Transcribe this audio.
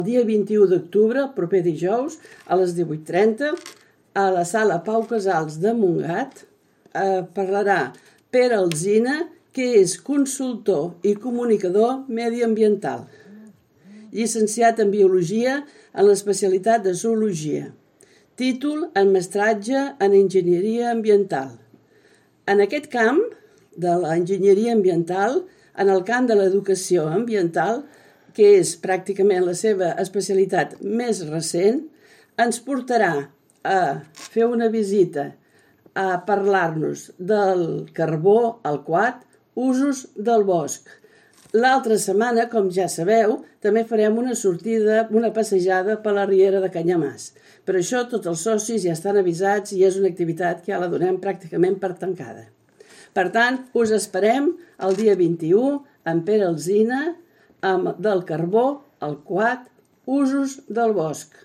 El dia 21 d'octubre, el proper dijous, a les 18:30, a la sala Pau Casals de Montgat, parlarà Pere Alsina, que és consultor i comunicador mediambiental, llicenciat en Biologia en l'especialitat de Zoologia. Títol en mestratge en Enginyeria Ambiental. En aquest camp de l'enginyeria ambiental, en el camp de l'educació ambiental, que és pràcticament la seva especialitat més recent, ens portarà a fer una visita, a parlar-nos del carbó, el quat, usos del bosc. L'altra setmana, com ja sabeu, també farem una sortida, una passejada per la riera de Canyamàs. Per això tots els socis ja estan avisats i és una activitat que ja la donem pràcticament per tancada. Per tant, us esperem el dia 21 amb Pere Alsina, del carbó, el quat, usos del bosc.